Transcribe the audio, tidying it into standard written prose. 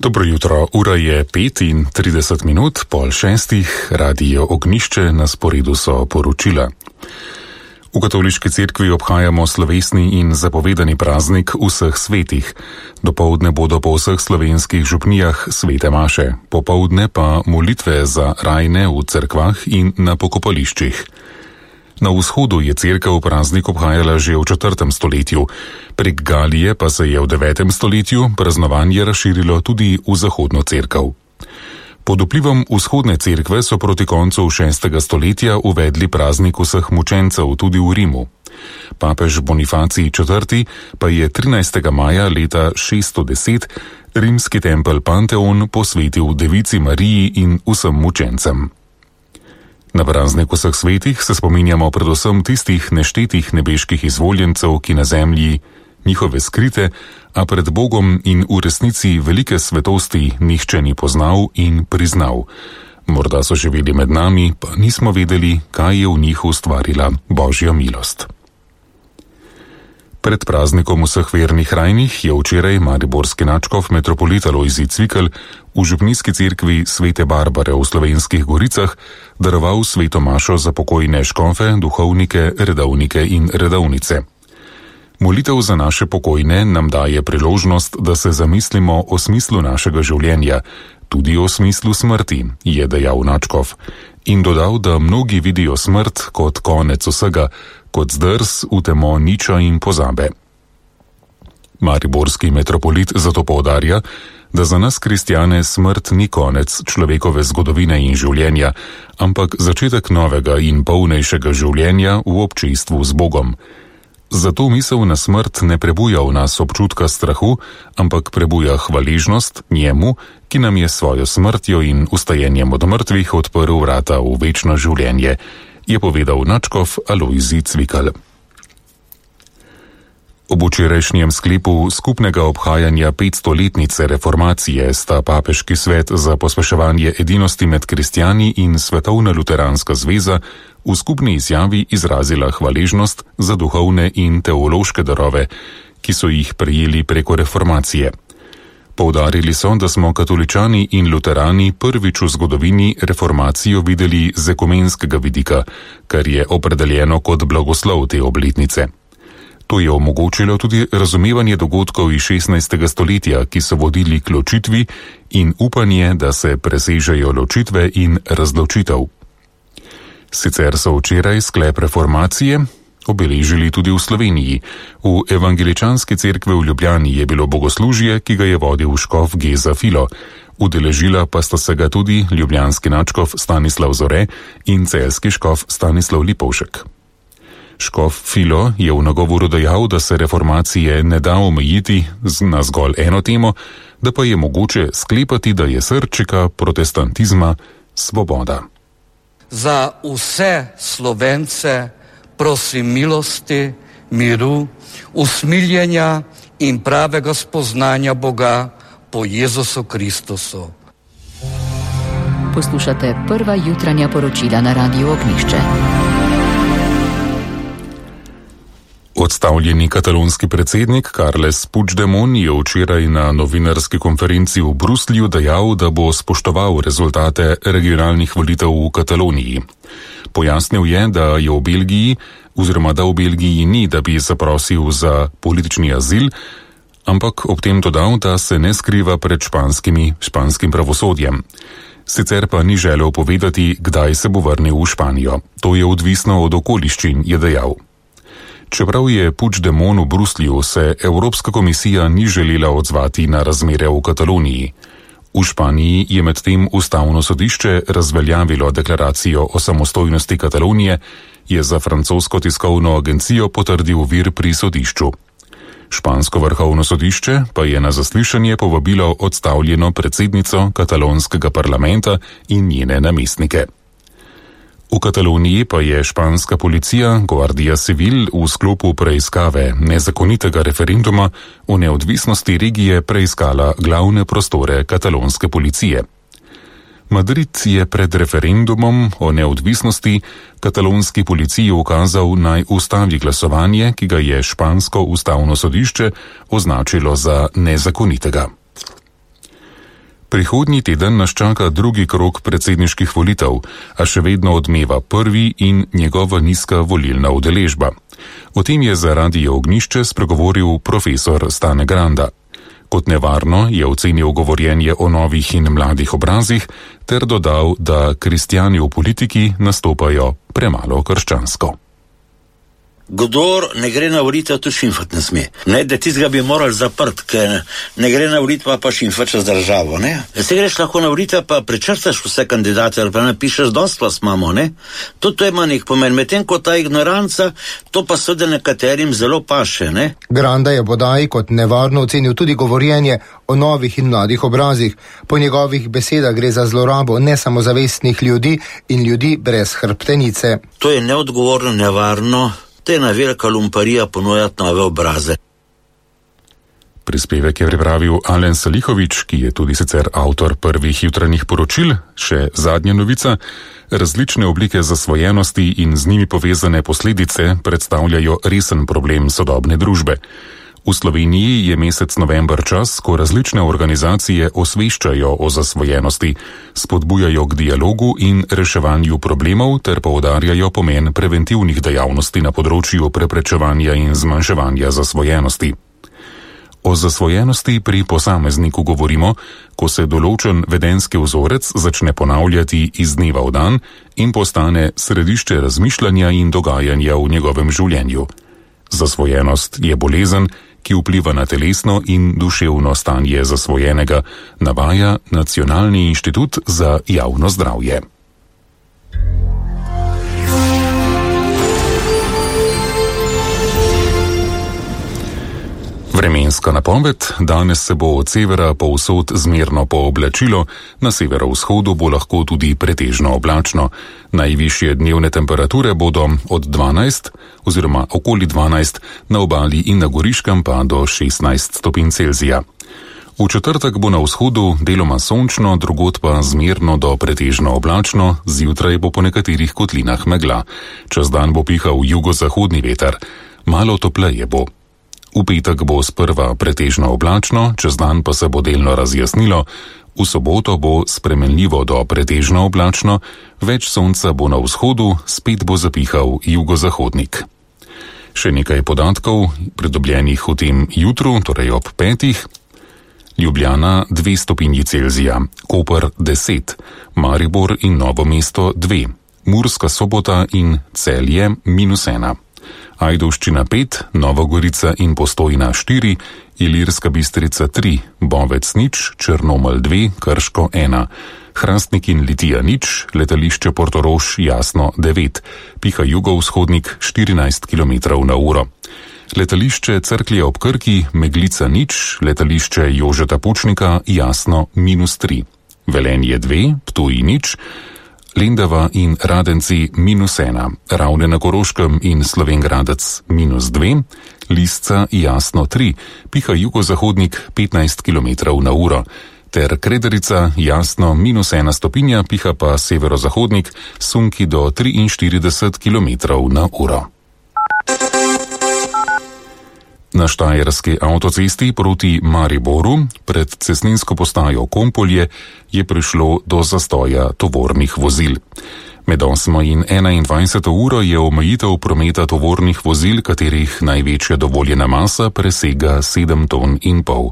Dobro jutro, ura je 5:30, 5:30, Radio Ognjišče, na sporedu so poročila. V katoliški cerkvi obhajamo slovesni in zapovedani praznik vseh svetih. Dopoldne bodo po vseh slovenskih župnijah svete maše, popoldne pa molitve za rajne v cerkvah in na pokopališčih. Na vzhodu je cerkev praznik obhajala že v 4. stoletju, prek Galije pa se je v 9. stoletju praznovanje razširilo tudi v zahodno cerkev. Pod vplivom vzhodne cerkve so proti koncu 6. stoletja uvedli praznik vseh mučencev tudi v Rimu. Papež Bonifacij IV. Pa je 13. maja leta 610 rimski tempelj Panteon posvetil Devici Mariji in vsem mučencem. Na praznik vseh svetih se spominjamo predvsem tistih neštetih nebeških izvoljencev, ki na zemlji njihove skrite, a pred Bogom in v resnici velike svetosti nihče ni poznal in priznal. Morda so živeli med nami, pa nismo vedeli, kaj je v njih ustvarila Božja milost. Pred praznikom vseh vernih rajnih je včeraj mariborski nadškof metropolit Alojzij Cvikl v župnijski cerkvi Svete Barbare v Slovenskih Goricah daroval sveto mašo za pokojne škofe, duhovnike, redovnike in redovnice. Molitev za naše pokojne nam daje priložnost, da se zamislimo o smislu našega življenja, tudi o smislu smrti, je dejal nadškof, in dodal, da mnogi vidijo smrt kot konec vsega, kot zdrs v temo niča in pozabe. Mariborski metropolit zato poudarja, da za nas kristjane smrt ni konec človekove zgodovine in življenja, ampak začetek novega in polnejšega življenja v občestvu z Bogom. Zato misel na smrt ne prebuja v nas občutka strahu, ampak prebuja hvaležnost njemu, ki nam je svojo smrtjo in ustajenjem od mrtvih odprl vrata v večno življenje, je povedal nadškof Alojzij Cvikl. Ob včerajšnjem sklepu skupnega obhajanja 500-letnice reformacije sta Papeški svet za pospeševanje edinosti med kristjani in Svetovna luteranska zveza v skupni izjavi izrazila hvaležnost za duhovne in teološke darove, ki so jih prejeli preko reformacije. Poudarili so, da smo katoličani in luterani prvič v zgodovini reformacijo videli z ekumenskega vidika, kar je opredeljeno kot blagoslov te obletnice. To je omogočilo tudi razumevanje dogodkov iz 16. stoletja, ki so vodili k ločitvi, in upanje, da se presežejo ločitve in razločitev. Sicer so včeraj sklep reformacije obeležili tudi v Sloveniji. V evangeličanski cerkvi v Ljubljani je bilo bogoslužje, ki ga je vodil škof Geza Filo. Udeležila pa sta se ga tudi ljubljanski nadškof Stanislav Zore in celjski škof Stanislav Lipovšek. Škof Filo je v nagovoru dejal, da se reformacije ne da omejiti na zgolj eno temo, da pa je mogoče sklepati, da je srčika protestantizma svoboda. Za vse Slovence prosim milosti, miru, usmiljenja in pravega spoznanja Boga po Jezusu Kristusu. Poslušate prva jutranja poročila na Radiu Ognjišče. Odstavljeni katalonski predsednik Carles Puigdemont je včeraj na novinarski konferenci v Bruslju dejal, da bo spoštoval rezultate regionalnih volitev v Kataloniji. Pojasnil je, da v Belgiji ni, da bi zaprosil za politični azil, ampak ob tem dodal, da se ne skriva pred španskim pravosodjem. Sicer pa ni želel povedati, kdaj se bo vrnil v Španijo. To je odvisno od okoliščin, je dejal. Čeprav je Puigdemont v Bruslju, se Evropska komisija ni želela odzvati na razmere v Kataloniji. V Španiji je medtem ustavno sodišče razveljavilo deklaracijo o samostojnosti Katalonije, je za francosko tiskovno agencijo potrdil vir pri sodišču. Špansko vrhovno sodišče pa je na zaslišanje povabilo odstavljeno predsednico katalonskega parlamenta in njene namestnike. V Kataloniji pa je španska policija Guardia Civil v sklopu preiskave nezakonitega referenduma o neodvisnosti regije preiskala glavne prostore katalonske policije. Madrid je pred referendumom o neodvisnosti katalonski policiji ukazal, naj ustavi glasovanje, ki ga je špansko ustavno sodišče označilo za nezakonitega. Prihodnji teden nas čaka drugi krog predsedniških volitev, a še vedno odmeva prvi in njegova nizka volilna udeležba. O tem je za Radio Ognjišče spregovoril profesor Stane Granda. Kot nevarno je ocenil govorjenje o novih in mladih obrazih ter dodal, da kristjani v politiki nastopajo premalo krščansko. Kdor ne gre na volitev, tu šimfat ne sme. Ne, da tistega bi morali zaprt, ker ne gre na volitev, pa šimfat čez državo, ne. Se greš lahko na volitev, pa prečrtaš vse kandidate, ali pa napišeš dosti vas imamo, ne. To ima nek pomen, medtem ko ta ignoranca, to pa seveda nekaterim zelo paše, ne. Granda je bodaj kot nevarno ocenil tudi govorjenje o novih in mladih obrazih. Po njegovih besedah gre za zlorabo nesamozavestnih ljudi in ljudi brez hrbtenice. To je neodgovorno, nevarno. To je ena velika lumparija ponujati nove obraze. Prispevek je pripravil Alen Salihovič, ki je tudi sicer avtor prvih jutranjih poročil. Še zadnja novica. Različne oblike zasvojenosti in z njimi povezane posledice predstavljajo resen problem sodobne družbe. V Sloveniji je mesec november čas, ko različne organizacije osveščajo o zasvojenosti, spodbujajo k dialogu in reševanju problemov ter poudarjajo pomen preventivnih dejavnosti na področju preprečevanja in zmanjševanja zasvojenosti. O zasvojenosti pri posamezniku govorimo, ko se določen vedenski vzorec začne ponavljati iz dneva v dan in postane središče razmišljanja in dogajanja v njegovem življenju. Zasvojenost je bolezen, ki vpliva na telesno in duševno stanje zasvojenega, navaja Nacionalni inštitut za javno zdravje. Vremenska napoved. Danes se bo od severa povsod zmerno pooblačilo, na severovzhodu bo lahko tudi pretežno oblačno. Najvišje dnevne temperature bodo od 12 oziroma okoli 12, na obali in na Goriškem pa do 16 stopinj Celzija. V četrtek bo na vzhodu deloma sončno, drugod pa zmerno do pretežno oblačno, zjutraj bo po nekaterih kotlinah megla. Čez dan bo pihal jugozahodni veter, malo topleje bo. V petek bo sprva pretežno oblačno, čez dan pa se bo delno razjasnilo, v soboto bo spremenljivo do pretežno oblačno, več sonca bo na vzhodu, spet bo zapihal jugozahodnik. Še nekaj podatkov, pridobljenih v tem jutru, torej ob 5. Ljubljana 2 stopinji Celzija, Koper 10, Maribor in Novo mesto 2, Murska Sobota in Celje -1. Ajdovščina 5, Nova Gorica in Postojna 4, Ilirska Bistrica 3, Bovec 0, Črnomelj 2, Krško 1, Hrastnik in Litija 0, letališče Portorož Jasno 9, piha jugovzhodnik 14 km/h. Letališče Cerklje ob Krki, Meglica 0, letališče Jožeta Pučnika Jasno -3, Velenje 2, Ptuj 0, Lendava in Radenci -1, Ravne na Koroškem in Slovenj Gradec -2, Lisca Jasno 3, piha jugozahodnik 15 km/h, ter Krederica Jasno -1 stopinja, piha pa severozahodnik sunki do 43 km/h. Na štajerski avtocesti proti Mariboru pred cestninsko postajo Kompolje je prišlo do zastoja tovornih vozil. Med 8 in 21 uro je omejitev prometa tovornih vozil, katerih največja dovoljena masa presega 7,5 ton.